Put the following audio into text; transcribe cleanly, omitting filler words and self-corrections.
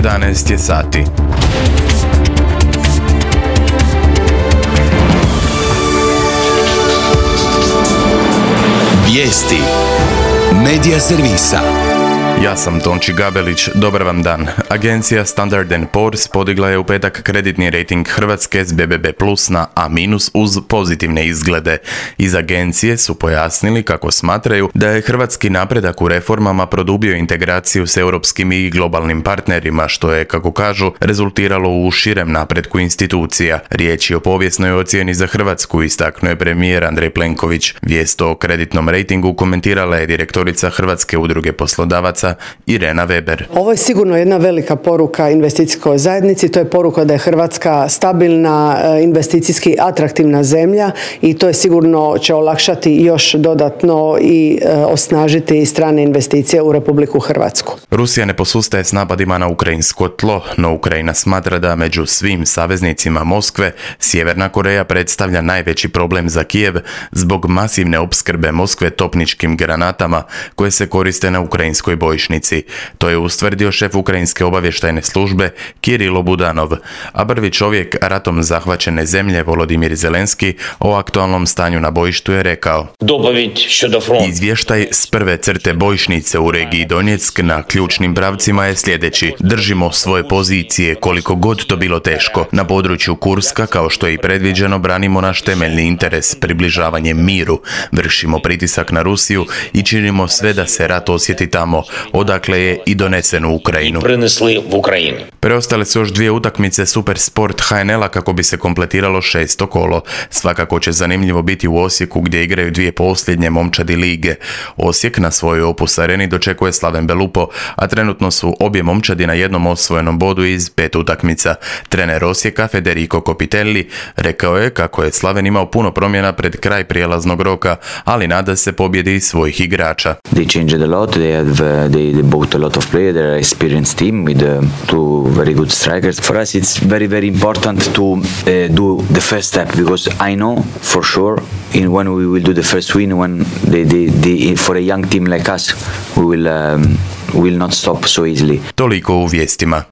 11 je sati. Vijesti Medija servisa. Ja sam Tonči Gabelić, dobar vam dan. Agencija Standard & Poor's podigla je u petak kreditni rejting Hrvatske s BBB+ na A- uz pozitivne izglede. Iz agencije su pojasnili kako smatraju da je hrvatski napredak u reformama produbio integraciju s europskim i globalnim partnerima, što je, kako kažu, rezultiralo u širem napretku institucija. Riječ je o povijesnoj ocjeni za Hrvatsku, istaknuo je premijer Andrej Plenković. Vijest o kreditnom rejtingu komentirala je direktorica Hrvatske udruge poslodavaca Irena Weber. Ovo je sigurno jedna velika poruka investicijskoj zajednici, to je poruka da je Hrvatska stabilna, investicijski atraktivna zemlja i to je sigurno će olakšati još dodatno i osnažiti strane investicije u Republiku Hrvatsku. Rusija ne posustaje s napadima na ukrajinsko tlo, no Ukrajina smatra da među svim saveznicima Moskve Sjeverna Koreja predstavlja najveći problem za Kijev zbog masivne opskrbe Moskve topničkim granatama koje se koriste na ukrajinskoj bojišnici. To je ustvrdio šef ukrajinske obavještajne službe Kirilo Budanov, a prvi čovjek ratom zahvaćene zemlje Volodimir Zelenski o aktualnom stanju na bojištu je rekao: Izvještaj s prve crte bojišnice u regiji Donjeck na ključnim pravcima je sljedeći. Držimo svoje pozicije koliko god to bilo teško. Na području Kurska, kao što je i predviđeno, branimo naš temeljni interes, približavanje miru. Vršimo pritisak na Rusiju i činimo sve da se rat osjeti tamo, odakle je i donesen u Ukrajinu. Preostale su još dvije utakmice Super Sport HNL-a kako bi se kompletiralo 6. kolo. Svakako će zanimljivo biti u Osijeku gdje igraju dvije posljednje momčadi lige. Osijek na svojoj Opus areni dočekuje Slaven Belupo, a trenutno su obje momčadi na jednom osvojenom bodu iz 5 utakmica. Trener Osijeka Federico Copitelli rekao je kako je Slaven imao puno promjena pred kraj prijelaznog roka, ali nada se pobjedi svojih igrača. They changed a lot. They bought a lot of players. They're an experienced team with two very good strikers. For us, it's very, very important to do the first step because I know for sure when we will do the first win, when for a young team like us, we will not stop so easily. Toliko u vijestima.